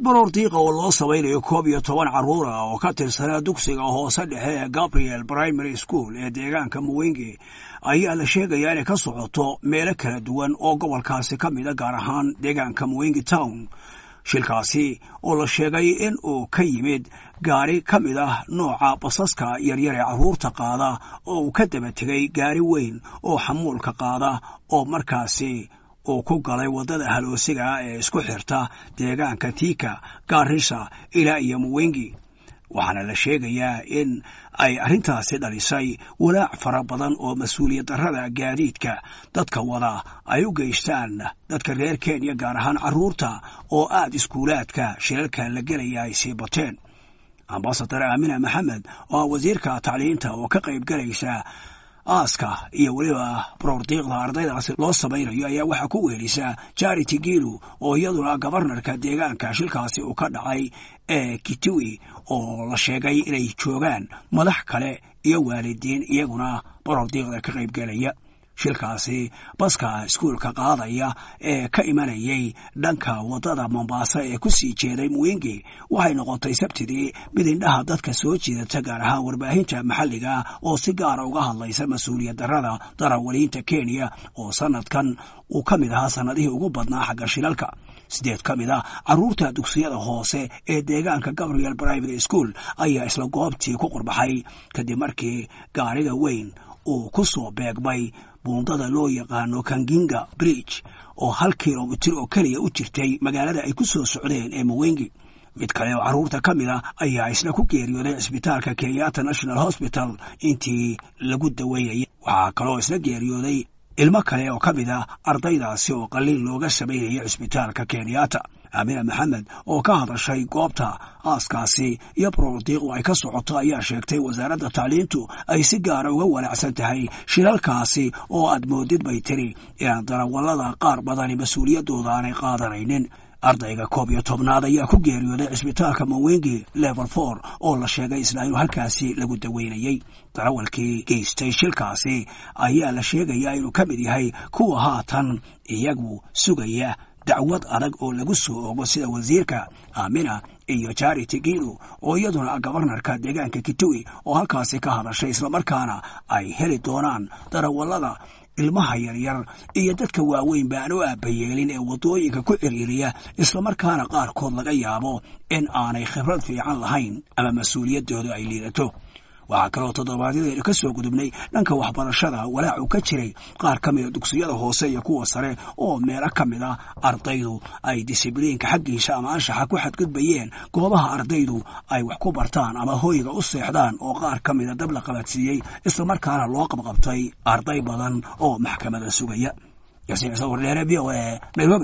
Baroor diiqa oo loo samaynayo 11 carruur ah oo ka tirsanaa dugsiga hoose dhexe ee Gabriel Primary School ee deegaanka Mwingi ayaa la sheegayaa inay ka socoto meelo kala duwan oo gobolkaasi ka mida, gaar ahaan deegaanka Mwingi Town. Shilkaasi oo la sheegay in uu ka yimid gaari ka mid ah nooca basaska yaryar ee carruurta qaada oo uu ka daba tegay gaari weyn oo xamuulka qaada oo markaasi uu ku galay waddada haloosiga ee isku xirta deegaanka Thika, Garissa ilaa iyo Mwingi. Waxaana la sheegayaa in ay arrintaasi dhalisay walaac fara badan oo mas-uuliyad darrada gaadiidka dadka wada ay u geystaan dadka reer Kenya, gaar ahaan carruurta oo aada iskuulaadka shilalka la gelaya ay sii bateen. Ambasadar Aamina Maxamed oo ah wasiirka tacliinta oo ka qayb galaysa aaska iyo weliba baroordiiqda ardaydaasi loo samaynayo ayaa waxaa ku wehelisa Charity Gilu oo iyaduna gabarnarka deegaanka shilkaasi uu ka dhacay ee Kitui, oo la sheegay inay joogaan madax kale iyo waalidiin iyaguna baroordiiqda ka qaybgelaya. Shilkaasi baska iskuulka qaadaya ee ka imanayay dhanka waddada Mombasa ee ku sii jeeday Mwingi waxay noqotay Sabtidii mid indhaha dadka soo jiidata, gaar ahaan warbaahinta maxalliga oo si gaara uga hadlaysa mas-uuliyad darrada darawaliinta Kenya oo sanadkan uu ka mid ahaa sannadihii ugu badnaa xagga shilalka. 8 ka mid ah carruurta dugsiyada hoose ee deegaanka Gabriel Primary School ayaa isla goobtii ku qurbaxay kadib markii gaariga weyn uu ku soo beegmay buundada loo yaqaano Kanginga Bridge oo 1 kilomitir oo keliya u jirtay magaalada ay ku soo socdeen ee Mwingi. Mid kale oo carruurta ka mid ah ayaa isna ku geeriyooday cisbitaalka Kenyatta National Hospital intii lagu daweynayay. Waxaa kaloo isna geeriyooday ilmo kale oo ka mid ah ardaydaasi oo qalliin looga samaynayay cisbitaalka Kenyatta. Aamina Maxamed oo ka hadashay goobta aaskaasi iyo baroordiiqu ay ka socoto ayaa sheegtay wasaaradda tacliintu ay si gaara uga walaacsan tahay shilalkaasi oo aad moodid, bay tiri, inaan darawallada qaar badani mas-uuliyaddooda aanay qaadanaynin. Ardayga 11aad ayaa ku geeriyooday cisbitaalka Mwingi Level 4 oo la sheegay isla inuu halkaasi lagu daweynayey. Darawalkii geystay shilkaasi ayaa la sheegayaa inuu ka mid yahay kuwa haatan iyagu sugaya dacwad adag oo lagu soo ogo, sida wasiirka Aamina iyo Charity Gilu oo iyaduna gabarnarka deegaanka Kitui oo halkaasi ka hadashay, islamarkaana ay heli doonaan darawallada ilmaha yaryar iyo dadka waaweyn ba aan u aabayeelin ee waddooyinka ku ciriiriya, islamarkaana qaarkood laga yaabo in aanay khibrad fiican lahayn ama mas-uuliyaddoodu ay liidato. Waxaa kaloo toddobaadyadaynu ka soo gudubnay dhanka waxbarashada walaacu ka jiray qaar ka mida dugsiyada hoose iyo kuwa sare oo meelo ka mid a ardaydu ay disibliinka xaggiisa ama anshaxa ku xadgudbayeen goobaha ardaydu ay wax ku bartaan ama hoyga u seexdaan, oo qaar ka mida dab la qabadsiiyey, islamarkaana loo qabqabtay arday badan oo maxkamada sugaya. Yasiin Sawardheere, V O A, Nairobi.